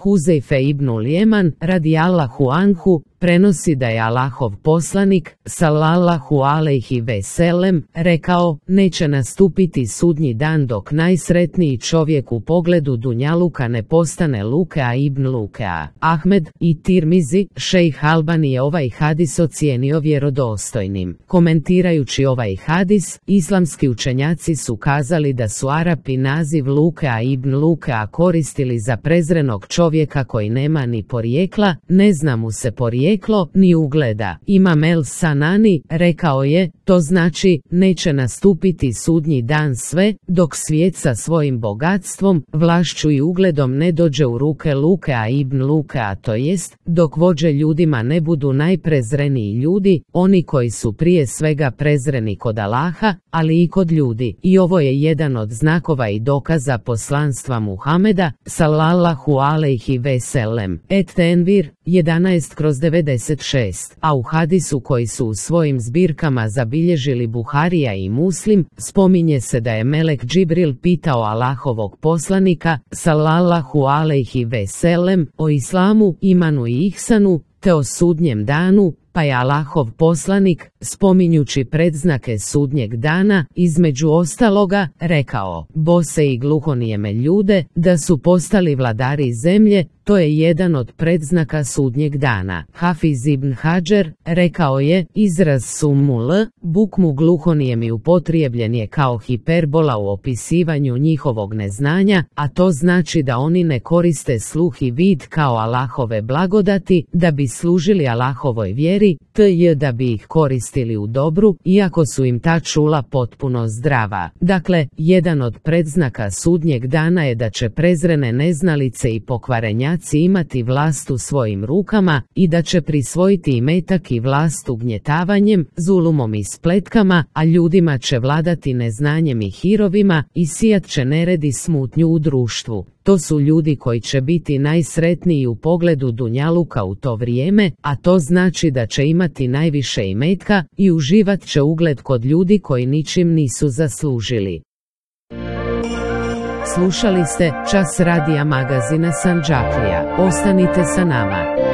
Huzejfe ibnul Jeman, radijallahu anhu, prenosi da je Allahov poslanik, sallallahu alejhi ve sellem, rekao: neće nastupiti sudnji dan dok najsretniji čovjek u pogledu dunjaluka ne postane Lukea ibn Lukea. Ahmed i Tirmizi, šejh Albani je ovaj hadis ocijenio vjerodostojnim. Komentirajući ovaj hadis, islamski učenjaci su kazali da su Arapi naziv Lukea ibn Lukea koristili za prezrenog čovjeka koji nema ni porijekla, ne zna mu se porijeklo ni ugleda. Imam El Sanani rekao je: to znači, neće nastupiti sudnji dan sve, dok svijet sa svojim bogatstvom, vlašću i ugledom ne dođe u ruke Lukea ibn Lukea, to jest, dok vođe ljudima ne budu najprezreniji ljudi, oni koji su prije svega prezreni kod Allaha, ali i kod ljudi. I ovo je jedan od znakova i dokaza poslanstva Muhameda, sallallahu alejhi ve sellem. Et-Tenvir 11/96, a u hadisu koji su u svojim zbirkama zabilježili Buharija i Muslim, spominje se da je melek Džibril pitao Allahovog poslanika, sallallahu alejhi ve sellem, o islamu, imanu i ihsanu, te o sudnjem danu, pa je Allahov poslanik, spominjući predznake sudnjeg dana, između ostaloga, rekao: bose i gluhonijeme ljude, da su postali vladari zemlje, to je jedan od predznaka sudnjeg dana. Hafiz ibn Hadžer rekao je: izraz summul, bukmu gluhonijemi upotrijebljen je kao hiperbola u opisivanju njihovog neznanja, a to znači da oni ne koriste sluh i vid kao Allahove blagodati, da bi služili Allahovoj vjeri, tj. da bi ih koristili u dobru, iako su im ta čula potpuno zdrava. Dakle, jedan od predznaka sudnjeg dana je da će prezrene neznalice i pokvarenjaci imati vlast u svojim rukama i da će prisvojiti imetak i vlast ugnjetavanjem, zulumom i spletkama, a ljudima će vladati neznanjem i hirovima i sijat će nered i smutnju u društvu. To su ljudi koji će biti najsretniji u pogledu dunjaluka u to vrijeme, a to znači da će imati najviše imetka i uživat će ugled kod ljudi koji ničim nisu zaslužili. Slušali ste Čas radija magazina Sandžaklija. Ostanite sa nama.